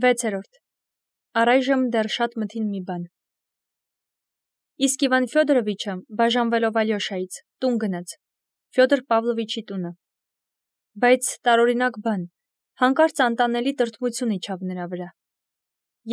6. Առայժմ դեռ շատ մթին մի բան։ Իսկ Իվան Ֆյոդորովիչը բաժանվելով Ալյոշայից տուն գնաց, Ֆյոդոր Պավլովիչի տունը։ Բայց տարօրինակ բան, հանկարծ անտանելի տրտմություն իջավ նրա վրա։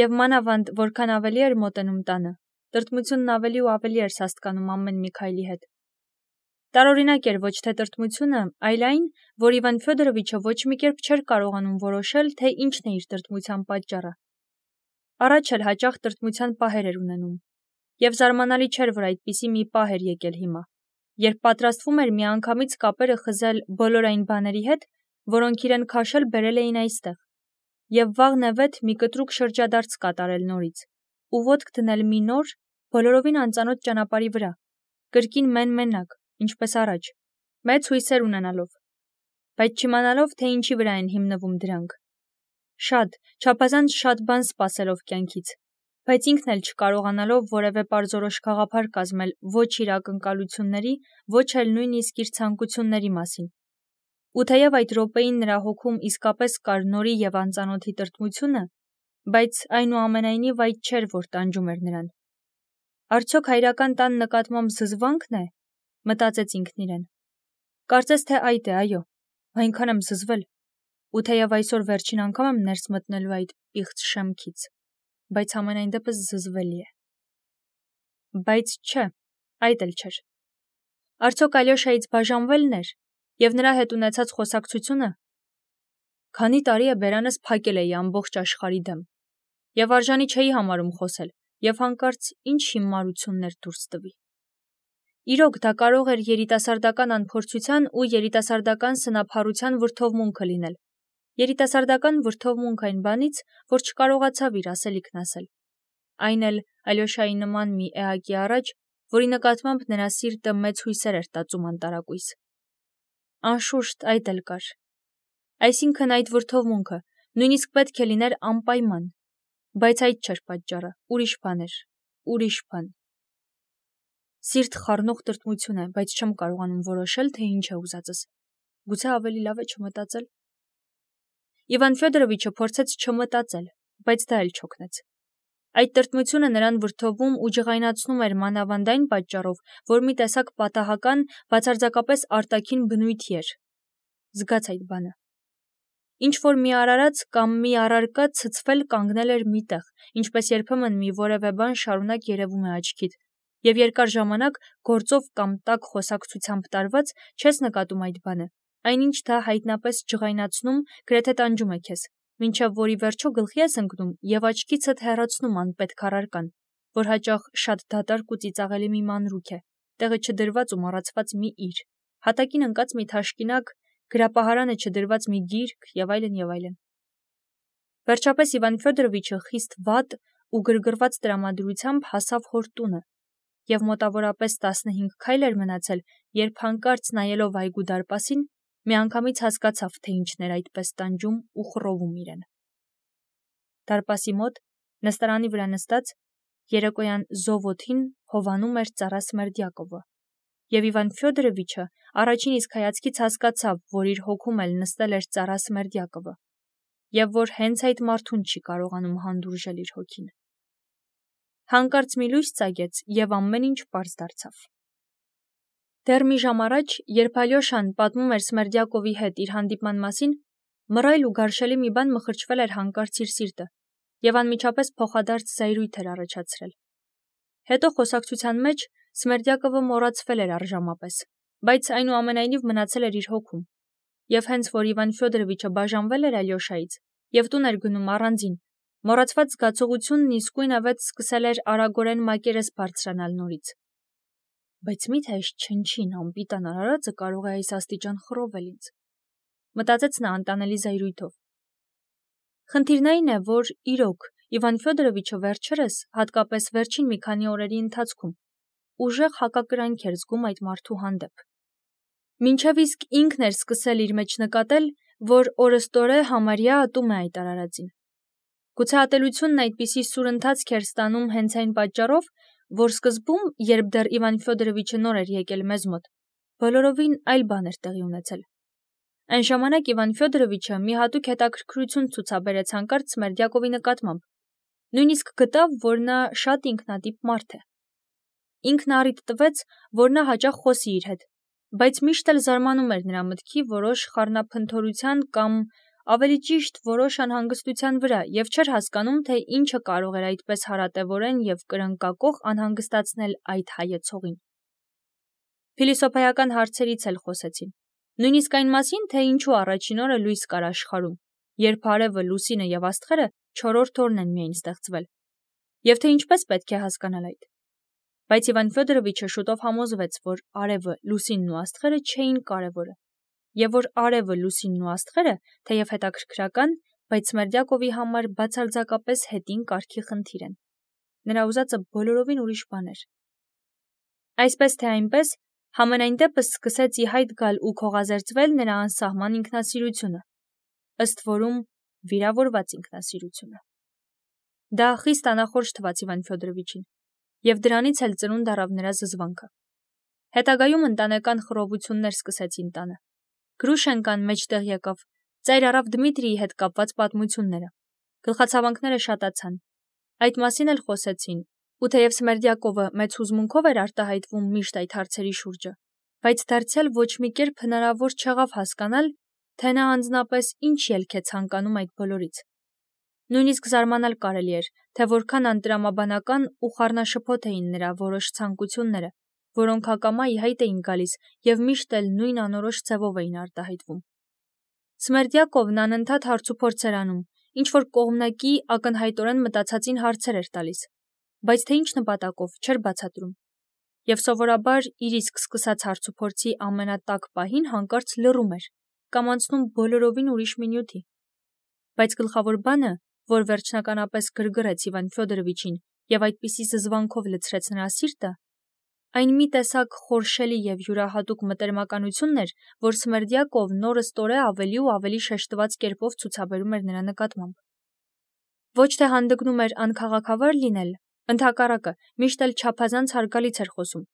Եվ մանավանդ, որքան ավելի էր մոտենում տանը, տրտմությունն ավելի ու ավելի էր սաստկանում ամեն մի քայլի հետ։ Տարօրինակ էր ոչ թե տրտմությունը, այլ այն, որ Իվան Ֆյոդորովիչը ոչ մի կերպ չէր կարողանում որոշել, թե ինչն է իր տրտմության պատճառը։ Առաջ էլ հաճախ տրտմության պահեր էր ունենում, եւ զարմանալի չէր, որ այդպիսի մի պահ էր եկել հիմա, երբ պատրաստվում էր միանգամից կապերը խզել բոլոր այն բաների հետ, որոնք իրեն քաշել բերել էին այստեղ, եւ վաղնեվեթ մի կտրուկ շրջադարձ կատարել նորից, ու ոտք դնել մի նոր, բոլորովին անծանոթ ճանապարհի վրա, կրկին մեն-մենակ, ինչպես առաջ, մեծ հույսեր ունենալով, բայց չիմանալով, թե ինչի վրա են հիմնվում դրանք։ Շատ, չափազանց շատ բան սպասելով կյանքից, բայց ինքն էլ չկարողանալով որևէ պարզորոշ գաղափար կազմել ոչ իր ակնկալությունների, ոչ էլ նույնիսկ իր ցանկությունների մասին։ Ու թեև այդ րոպեին նրա հոգում իսկապես կար նորի եւ անծանոթի տրտմությունը, բայց այնուամենայնիվ այդ չէր, որ տանջում էր նրան։ Արդյոք հայրական տան նկատմամբ զզվանքն է, մտածեց ինքն իրեն։ Կարծես թե այդ է, այո, այնքան եմ զզվել, ու թեև այսօր վերջին անգամ եմ ներս մտնելու այդ պիղծ շեմքից, բայց ամենայն դեպս զզվելի է։ Բայց չէ, այդ էլ չէր։ Արդյոք Ալյոշայից բաժանվելն էր, եւ նրա հետ ունեցած խոսակցությունը։ Քանի տարի է բերանս փակել էի ամբողջ աշխարհի դեմ, եւ արժանի չէի համարում խոսել, եւ հանկարծ ինչ հիմարություններ դուրս տվի։ Իրոք դա կարող էր երիտասարդական անփորձության ու երիտասարդական սնափառության վրդովմունքը լինել։ Երիտասարդական վրդովմունք այն բանից, որ չկարողացավ իր ասելիքն ասել։ Այն էլ Ալյոշայի նման մի էակի առաջ, որի նկատմամբ նրա սիրտը մեծ հույսեր էր տածում անտարակույս։ Անշուշտ այդ էլ կար։ Այսինքն այդ վրդովմունքը նույնիսկ պետք է լիներ անպայման, բայց այդ չէր պատճառը, ուրիշ բան էր, ուրիշ բան։ Սիրտ խառնող տրտմություն է, բայց չեմ կարողանում որոշել, թե ինչ է ուզածս։ Գուցե ավելի լավ է չմտածել։ Իվան Ֆյոդորովիչը փորձեց չմտածել, բայց դա էլ չօգնեց։ Այդ տրտմությունը նրան վրդովում ու ջղայնացնում էր մանավանդ այն պատճառով, որ մի տեսակ պատահական, բացարձակապես արտաքին բնույթի էր։ Զգաց այդ բանը։ Ինչ որ մի արարած կամ մի առարկա ցցվել կանգնել էր միտեղ, ինչպես երբեմն մի որևէ բան շարունակ երևում է աչքիդ, եւ երկար ժամանակ գործով կամ տաք խոսակցությամբ տարված չես նկատում այդ բանը, այնինչ դա հայտնապես ջղայնացնում, գրեթե տանջում է քեզ, մինչև որի վերջո գլխի ես ընկնում եւ աչքիցդ հեռացնում անպետք առարկան, որ հաճախ շատ դատարկ ու ծիծաղելի մի մանրուք է, տեղը չդրված ու մոռացված մի իր, հատակին ընկած մի թաշկինակ, գրապահարանը չդրված մի գիրք եւ այլն եւ այլն։ Վերջապես Իվան Ֆյոդորովիչը խիստ վատ ու գրգռված տրամադրությամբ հասավ հոր տունը, եւ մոտավորապես 15 քայլ էր մնացել, երբ հանկարծ նայելով այգու դարպասին, միանգամից հասկացավ, թե ինչն էր այդպես տանջում ու խռովում իրեն։ Դարպասի մոտ, նստարանի վրա նստած, երեկոյան զովոթին հովանում էր ծառա Սմերդյակովը, եւ Իվան Ֆյոդորովիչը առաջին իսկ հայացքից հասկացավ, որ իր հոգում էլ նստել էր ծառա Սմերդյակովը, եւ որ հենց այդ մարդուն չի կարողանում հանդուրժել իր հոգին։ Հանկարծ մի լույս ծագեց եւ ամեն ինչ պարզ դարձավ։ Դեռ մի ժամ առաջ, երբ Ալյոշան պատմում էր Սմերդյակովի հետ իր հանդիպման մասին, մռայլ ու գարշելի մի բան մխրճվել էր հանկարծ իր սիրտը եւ անմիջապես փոխադարձ զայրույթ էր առաջացրել։ Հետո խոսակցության մեջ Սմերդյակովը մոռացվել էր առժամապես, բայց այնուամենայնիվ մնացել էր իր հոգում։ Եվ հենց որ Իվան Ֆյոդորովիչը բաժանվել էր Ալյոշայից եւ տուն էր գնում առանձին, մոռացված զգացողությունն իսկույնավետ սկսել էր արագորեն մակերես բարձրանալ նորից։ Բայց միթե այս չնչին անպիտան արարածը կարող է այս աստիճան խռովել ինձ, մտածեց նա անտանելի զայրույթով։ Խնդիրն այն է, որ իրոք Իվան Ֆյոդորովիչը վերջերս, հատկապես վերջին մի քանի օրերի ընթացքում, ուժեղ հակակրանք էր զգում այդ մարդու հանդեպ։ Մինչև իսկ ինքն էր սկսել իր մեջ նկատել, որ օրըստօրե համարյա ատում է այդ արարածին։ Գուցե ատելությունն այդպիսի սուր ընթացք էր ստանում հենց այն պատճառով, որ սկզբում, երբ դեռ Իվան Ֆյոդորովիչը նոր էր եկել մեզ մոտ, բոլորովին այլ բան էր տեղի ունեցել։ Այն ժամանակ Իվան Ֆյոդորովիչը մի հատուկ հետաքրքրություն ցուցաբերեց հանկարծ Սմերդյակովի նկատմամբ։ Նույնիսկ գտավ, որ նա շատ ինքնատիպ մարդ է։ Ինքն առիթ տվեց, որ նա հաճախ խոսի իր հետ, բայց միշտ էլ զարմանում էր նրա մտքի որոշ խառնափնթորության կամ ավելի ճիշտ որոշ անհանգստության վրա և չէր հասկանում, թե ինչը կարող էր այդպես հարատևորեն և կրնկակոխ անհանգստացնել այդ հայեցողին։ Փիլիսոփայական հարցերից էլ խոսեցին, նույնիսկ այն մասին, թե ինչու առաջին օրը լույս կար աշխարհում, երբ արևը, լուսինը և աստղերը չորրորդ օրն են միայն ստեղծվել, և թե ինչպես պետք է հասկանալ այդ։ Բայց Իվան Ֆյոդորովիչը շուտով համոզվեց, որ արևը, լուսինն ու աստղերը չէին կարևորը, և որ արևը, լուսինն ու աստղերը, թեև հետաքրքրական, բայց Սմերդյակովի համար բացարձակապես հետին կարգի խնդիր են։ Նրա ուզածը բոլորովին ուրիշ բան էր։ Այսպես թե այնպես, համենայն դեպս սկսեց ի հայտ գալ ու քողազերծվել նրա անսահման ինքնասիրությունը, ըստ որում վիրավորված ինքնասիրությունը։ Դա խիստ անախորժ թվաց Իվան Ֆյոդորովիչին, և դրանից էլ ծնունդ առավ նրա զզվանքը։ Հետագայում ընտանեկան խռովություններ սկսեցին տանը։ Գրուշենկան մեջտեղ եկավ, ծայր առավ Դմիտրիի հետ կապված պատմությունները։ Գլխացավանքները շատացան։ Այդ մասին էլ խոսեցին, ու թեև Սմերդյակովը մեծ հուզմունքով էր արտահայտվում միշտ այդ հարցերի շուրջը, բայց դարձյալ ոչ մի կերպ հնարավոր չեղավ հասկանալ, թե նա անձնապես ինչ ելք է ցանկանում այդ բոլորից։ Նույնիսկ զարմանալ կարելի էր, թե որքան անտրամաբանական ու խառնաշփոթ էին նրա որոշ ցանկությունները, որոնք հակամա ի հայտ էին գալիս և միշտ էլ նույն անորոշ ձևով էին արտահայտվում։ Սմերդյակովն անընդհատ հարցուփորձ էր անում, ինչ-որ կողմնակի ակնհայտորեն մտածածին հարցեր էր տալիս, բայց թե ինչ նպատակով չէր բացատրում, և սովորաբար իր իսկ սկսած հարցուփորձի ամենատաք պահին հանկարծ լռում էր կամ անցնում բոլորովին ուրիշ մի նյութի։ Բայց գլխավոր բանը, որ վերջնականապես գրգռեց Իվան Ֆյոդորովիչին և այդպիսի զզվանքով լցրեց նրա սիրտը, այն մի տեսակ խորշելի և յուրահատուկ մտերմականությունն էր, որ Սմերդյակովն օրըստօրե ավելի ու ավելի շեշտված կերպով ցուցաբերում էր նրա նկատմամբ։ Ոչ թե հանդգնում էր անքաղաքավար լինել, ընդհակառակը, միշտ էլ չափազանց հարգալից էր խոսում,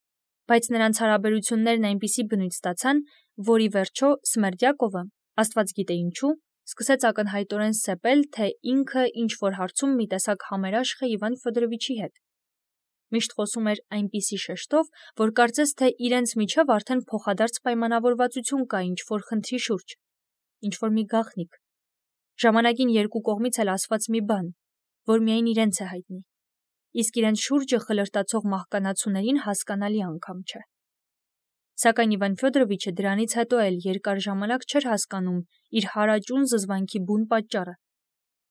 բայց նրանց հարաբերություններն այնպիսի բնույթ ստացան, որ ի վերջո Սմերդյակովը, աստված գիտե ինչու, սկսեց ակնհայտորեն սեպել, թե ինքը ինչ-որ հարցում մի տեսակ համերաշխ է Իվան Ֆյոդորովիչի հետ։ Միշտ խոսում էր այնպիսի շեշտով, որ կարծես թե իրենց միջև արդեն փոխադարձ պայմանավորվածություն կա ինչ-որ խնդրի շուրջ, ինչ-որ մի գաղտնիք, ժամանակին երկու կողմից էլ ասված մի բան, որ միայն իրենց է հայտնի, իսկ իրենց շուրջը խլրտացող մահկանացուներին հասկանալի անգամ չէ։ Սակայն Իվան Ֆյոդորովիչը դրանից հետո էլ երկար ժամանակ չէր հասկանում իր հարաճուն զզվանքի բուն պատճառը,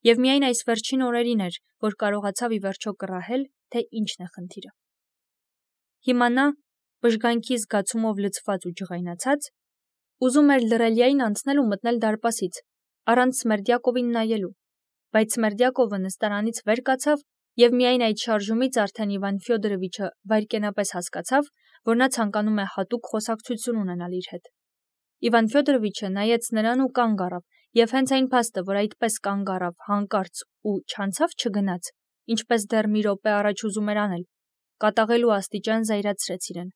և միայն այս վերջին օրերին էր, որ կարողացավ ի վերջո կռահել, թե ինչն է խնդիրը։ Հիմա նա, բժգանքի զգացումով լցված ու ջղայնացած, ուզում էր լռելիային անցնել ու մտնել դարպասից, առանց Սմերդյակովին նայելու, բայց Սմերդյակովը նստարանից վեր կացավ, և միայն այդ շարժումից արդեն Իվան Ֆյոդորովիչը վայրկենապես հասկացավ, որ նա ցանկանում է հատուկ խոսակցություն ունենալ իր հետ։ Իվան Ֆյոդորովիչը նայեց նրան ու կանգ առավ, և հենց այն փաստը, որ այդպես կանգ առավ հանկարծ ու չանցավ չգնաց, ինչպես դեռ մի րոպե առաջ ուզում էր անել, կատաղելու աստիճան զայրացրեց իրեն։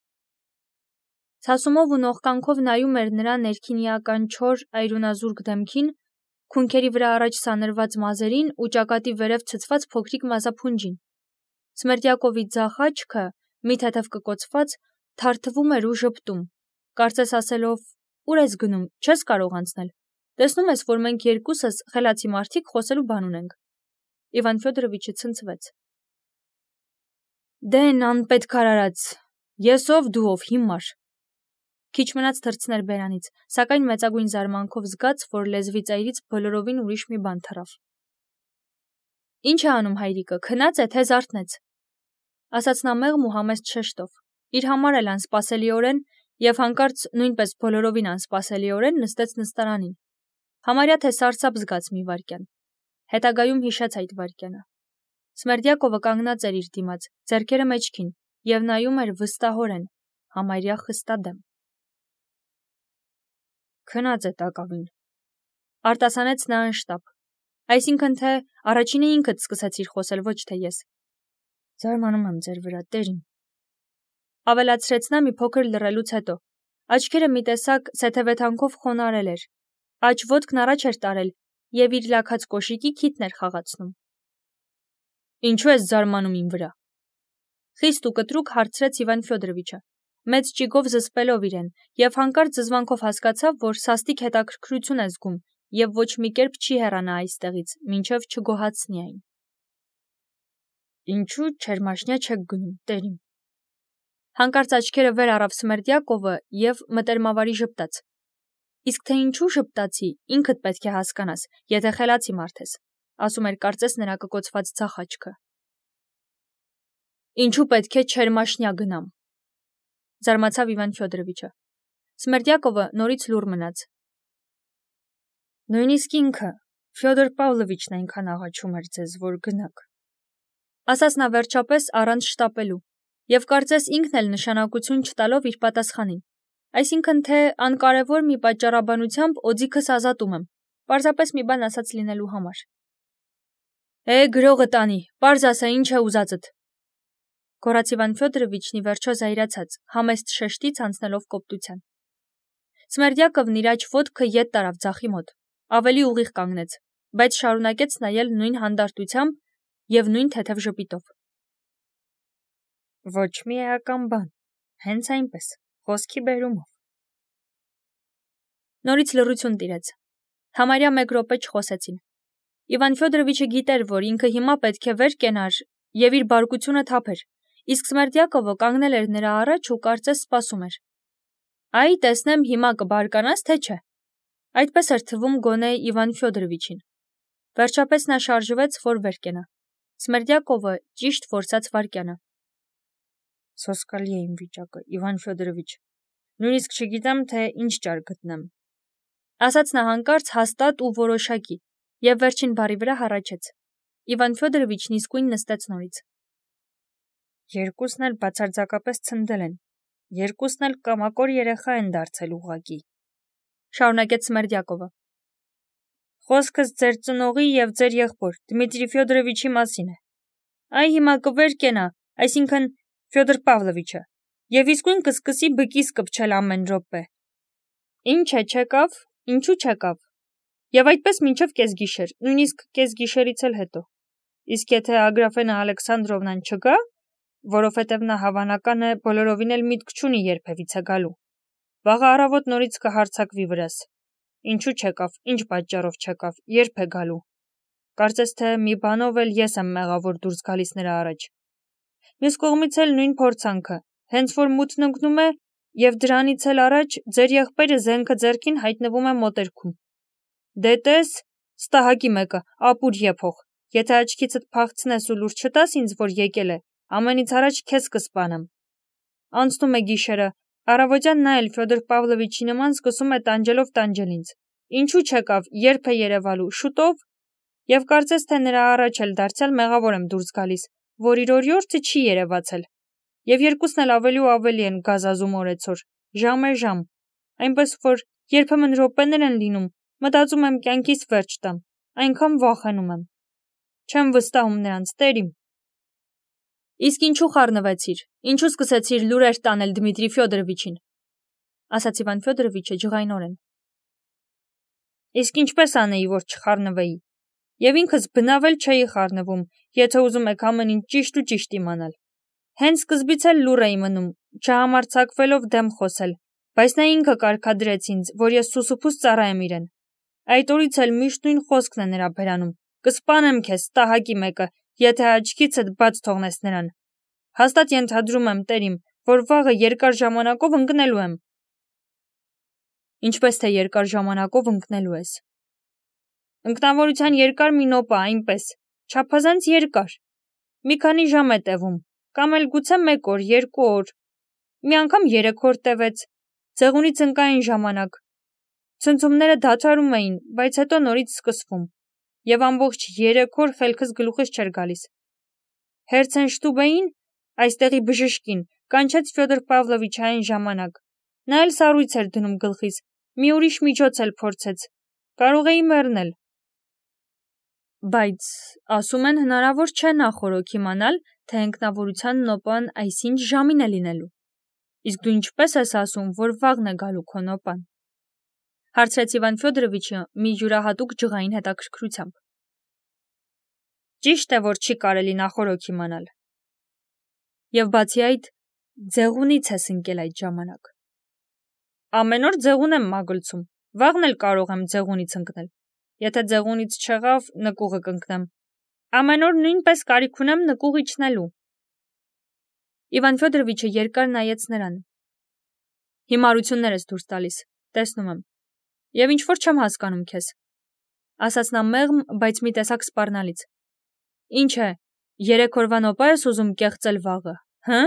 Ցասումով ու նողկանքով նայում էր նրա ներքինիական չոր այրունազուրկ դեմքին, քունքերի վրա առաջ սանրված մազերին ու ճակատի վերև ցցված փոքրիկ մազափունջին։ Սմերդյակովի ձախ աչքը, մի թեթև կկոցված, թարթվում էր ու ժպտում, կարծես ասելով. «Ուր ես գնում, չես կարող անցնել, տեսնում ես, որ մենք երկուսս խելացի մարդիկ խոսելու բան ունենք»։ Իվան Ֆյոդորովիչը ցնցվեց։ «Դեն, անպետք արարած, ես ով, դու ով, հիմար»։ Քիչ մնաց թռցներ բերանից, սակայն մեծագույն զարմանքով զգաց, որ լեզվի ծայրից բոլորովին ուրիշ մի բան թռավ։ «Ինչ է անում հայրիկը, քնած է, թե զարթնեց», ասաց նա մեղմ ու համեստ շեշտով, իր համար էլ անսպասելիորեն, և հանկարծ նույնպես բոլորովին անսպասելիորեն նստեց նստարանին։ Համարյա թե սարսափ զգաց մի վայրկյան։ Հետագայում հիշեց այդ վայրկյանը։ Սմերդյակովը կանգնած էր իր դիմաց, ձեռքերը մեջքին, և նայում էր վստահորեն, համարյա խստադեմ։ «Քնած է տակավին», արտասանեց նա անշտապ, այսինքն թե առաջինը ինքդ սկսեցիր խոսել, ոչ թե ես։ «Զարմանում եմ ձեր վրա, տերին», ավելացրեց նա մի փոքր լռելուց հետո, աչքերը մի տեսակ սեթևեթանքով խոնարհել էր, Աջ ոտքն առաջ էր տարել եւ իր լաքած կոշիկի քիթն էր խաղացնում։ Ինչու ես զարմանում իմ վրա։ Խիստ ու կտրուկ հարցրեց Իվան Ֆյոդորովիչը, մեծ ճիգով զսպելով իրեն, եւ հանկարծ զզվանքով հասկացավ, որ սաստիկ հետաքրքրություն է զգում եւ ոչ մի կերպ չի հեռանա այստեղից, մինչեւ չգոհացնի այն։ Ինչու չերմաշնյա չեք գնում, տերիմ։ Հանկարծ աչքերը վեր առավ Սմերդյակովը եւ մտերմավարի ժպտաց։ Իսկ թե ինչու ժպտացի, ինքդ պետք է հասկանաս, եթե խելացի մարդ ես, ասում էր կարծես նրա կկոցված ձախ աչքը։ Ինչու պետք է չերմաշնյա գնամ։ Զարմացավ Իվան Ֆյոդորովիչը։ Սմերդյակովը նորից լուռ մնաց։ Նույնիսկ ինքը, Ֆյոդոր Պավլովիչն այնքան աղաչում էր ձեզ, որ գնաք։ Ասաց նա վերջապես առանց շտապելու, եւ կարծես ինքն էլ նշանակություն չտալով իր պատասխանին։ Այսինքն թե անկարևոր մի պատճառաբանությամբ օձիքս ազատում եմ, պարզապես մի բան ասած լինելու համար։ Գրողը տանի, պարզ ասա ինչ է ուզածդ։ Գոռաց Իվան Ֆյոդորովիչն ի վերջո զայրացած, համեստ շեշտից անցնելով կոպտության։ Սմերդյակովն իր աջ ոտքը ետ տարավ ձախի մոտ, ավելի ուղիղ կանգնեց, բայց շարունակեց նայել նույն հանդարտությամբ եւ նույն թեթև ժպիտով։ Ոչ մի էական բան, հենց այնպես, խոսքի բերումով։ Նորից լռություն տիրեց։ Համարյա մեկ րոպե չխոսեցին։ Իվան Ֆյոդորովիչը գիտեր, որ ինքը հիմա պետք է վեր կենար եւ իր բարկությունը թափեր, իսկ Սմերդյակովը կանգնել էր նրա առաջ ու կարծես սպասում էր։ Այ տեսնեմ հիմա կբարկանաս, թե չէ։ Այդպես էր թվում գոնե Իվան Ֆյոդորովիչին։ Վերջապես նա շարժվեց, որ վեր կենա։ Սմերդյակովը ճիշտ որսաց վարկյանը։ Սոսկալի է իմ վիճակը, Իվան Ֆյոդորովիչ։ Նույնիսկ չգիտեմ, թե ինչ ճար գտնեմ։ Ասաց նա հանկարծ հաստատ ու որոշակի, եւ վերջին բառի վրա հառաչեց։ Իվան Ֆյոդորովիչն իսկույն նստեց նորից։ Երկուսն էլ բացարձակապես ցնդել են։ Երկուսն էլ կամակոր երեխա են դարձել ուղղակի։ Շարունակեց Սմերդյակովը։ Խոսքս ձեր ծնողի եւ ձեր եղբոր Դմիտրի Ֆյոդորովիչի մասին է։ Այ հիմա կվեր կենա, այսինքն Ֆյոդոր Պավլովիչը, եւ իսկույն կսկսի բկիս կպչել ամեն րոպե։ Ինչ է, չեկավ, ինչու չեկավ։ Եվ այդպես մինչև կեսգիշեր, նույնիսկ կեսգիշերից էլ հետո։ Իսկ եթե Ագրաֆենա Ալեքսանդրովնան չգա, որովհետև նա հավանական է բոլորովին էլ միտք չունի երբևիցե գալու, վաղը առավոտ նորից կհարձակվի վրաս։ Ինչու չեկավ, ինչ պատճառով չեկավ, երբ է գալու։ Կարծես թե մի բանով էլ ես եմ մեղավոր դուրս գալիս նրա առաջ։ Մյուս կողմից էլ նույն փորձանքը, հենց որ մութն ընկնում է, եւ դրանից էլ առաջ ձեր եղբայրը զենքը ձեռքին հայտնվում է մոտերքում։ Դե տես, ստահակի մեկը, ապուր եփող, եթե աչքիցդ փախցնես ու լուրջ չտաս ինձ, որ եկել է, ամենից առաջ քեզ կսպանեմ։ Անցնում է գիշերը, առավոտյան նա էլ Ֆյոդոր Պավլովիչի նման սկսում է տանջելով ինձ։ Ինչու չեկավ, երբ է երևալու, շուտով։ Եվ կարծես թե նրա առաջ էլ դարձյալ մեղավոր եմ դուրս գալիս, որ իր օրիորդը չի երևացել։ Եվ երկուսն էլ ավելի ու ավելի են գազազում օրեցօր, ժամ է ժամ, այնպես որ երբեմն րոպեներ են լինում, մտածում եմ կյանքիս վերջ տամ, այնքան վախենում եմ։ Չեմ վստահում նրանց, տերիմ։ Իսկ ինչու խառնվեցիր, ինչու սկսեցիր լուրեր տանել Դմիտրի Ֆյոդորովիչին, ասաց Իվան Ֆյոդորովիչը ջղայնորեն։ Իսկ ինչպես անեի, որ չխառնվեի։ Եվ ինքս բնավ էլ չէի խառնվում, եթե ուզում եք ամեն ինչ ճիշտ իմանալ։ Հենց սկզբից էլ լուռ էի մնում, չհամարձակվելով դեմ խոսել, բայց նա ինքը կարգադրեց ինձ, որ ես սուսուփուս ծառայեմ իրեն։ Այդ օրից էլ միշտ նույն խոսքն է նրա բերանում. կսպանեմ քեզ, ստահակի մեկը, եթե աչքիցդ բաց թողնես նրան։ Հաստատ ենթադրում եմ, տերիմ, որ վաղը երկար ժամանակով ընկնելու եմ։ Ինչպես թե երկար ժամանակով ընկնելու ես։ Ընկնավորության երկար մի նոպա, այնպես, չափազանց երկար։ Մի քանի ժամ է տևում, կամ էլ գուցե 1 օր, 2 օր։ Մի անգամ 3 օր տևեց, ձեղունից ընկա այն ժամանակ։ Ցնցումները դադարում էին, բայց հետո նորից սկսվում։ Եվ ամբողջ 3 օր խելքս գլուխից չէր գալիս։ Հերցենշտուբեին, այստեղի բժշկին, կանչեց Ֆյոդոր Պավլովիչը այն ժամանակ։ Նա էլ սառույց էր դնում գլխիս, մի ուրիշ միջոց էլ փորձեց։ Կարող էի մեռնել։ Բայց ասում են հնարավոր չէ նախորոք իմանալ, թե ընկնավորության նոպան այսինչ ժամին է լինելու։ Իսկ դու ինչպես ես ասում, որ վաղն է գալու քո նոպան։ Հարցրեց Իվան Ֆյոդորովիչը մի յուրահատուկ ջղային հետաքրքրությամբ։ Ճիշտ է, որ չի կարելի նախորոք իմանալ։ Եվ բացի այդ, ձեղունից ես ընկել այդ ժամանակ։ Ամեն օր ձեղուն եմ մագլցում, վաղն էլ կարող եմ ձեղունից ընկնել։ Եթե ձեղունից չեղավ, նկուղը կընկնեմ։ Ամեն օր նույնպես կարիք ունեմ նկուղ իջնելու։ Իվան Ֆյոդորովիչը երկար նայեց նրան։ Հիմարություններ ես դուրս տալիս, տեսնում եմ։ Եվ ինչ-որ չեմ հասկանում քեզ, ասաց նա մեղմ, բայց մի տեսակ սպառնալից։ Ինչ է, 3 օրվա նոպա ես ուզում կեղծել վաղը, հը՞։